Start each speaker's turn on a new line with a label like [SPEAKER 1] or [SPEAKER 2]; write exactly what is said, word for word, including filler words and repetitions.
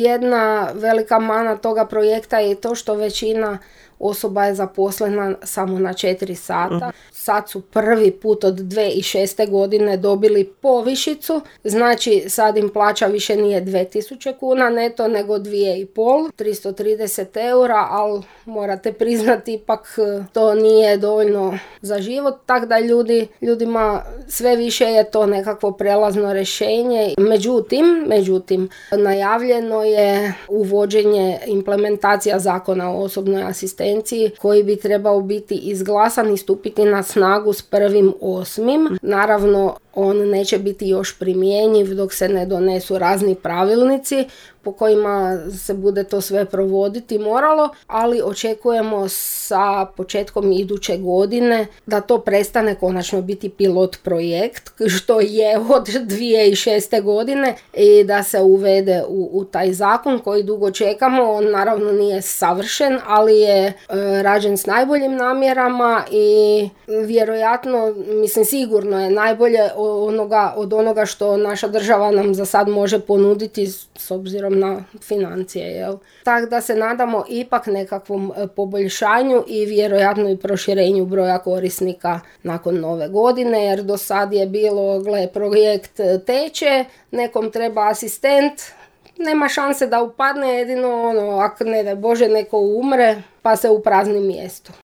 [SPEAKER 1] Jedna velika mana toga projekta je to što većina osoba je zaposlena samo na četiri sata. Sad su prvi put od dvije tisuće šeste godine dobili povišicu, znači sad im plaća više nije dvije tisuće kuna neto, nego dvije i pol, tristo trideset eura, ali morate priznati ipak to nije dovoljno za život, tako da ljudi, ljudima sve više je to nekakvo prelazno rješenje. Međutim, međutim, najavljeno je uvođenje implementacija zakona o osobnoj asistenciji koji bi trebao biti izglasan i stupiti na snagu s prvim osmim. Naravno, on neće biti još primjenjiv dok se ne donesu razni pravilnici po kojima se bude to sve provoditi moralo, ali očekujemo sa početkom iduće godine da to prestane konačno biti pilot projekt, što je od dvije tisuće šeste godine, i da se uvede u, u taj zakon koji dugo čekamo. On naravno nije savršen, ali je e, rađen s najboljim namjerama i vjerojatno, mislim sigurno je najbolje onoga, od onoga što naša država nam za sad može ponuditi s obzirom na financije. Jel? Tako da se nadamo ipak nekakvom poboljšanju i vjerojatno i proširenju broja korisnika nakon nove godine, jer do sad je bilo, gle, projekt teče, nekom treba asistent, nema šanse da upadne, jedino ono, ako ne da Bože neko umre pa se uprazni mjesto.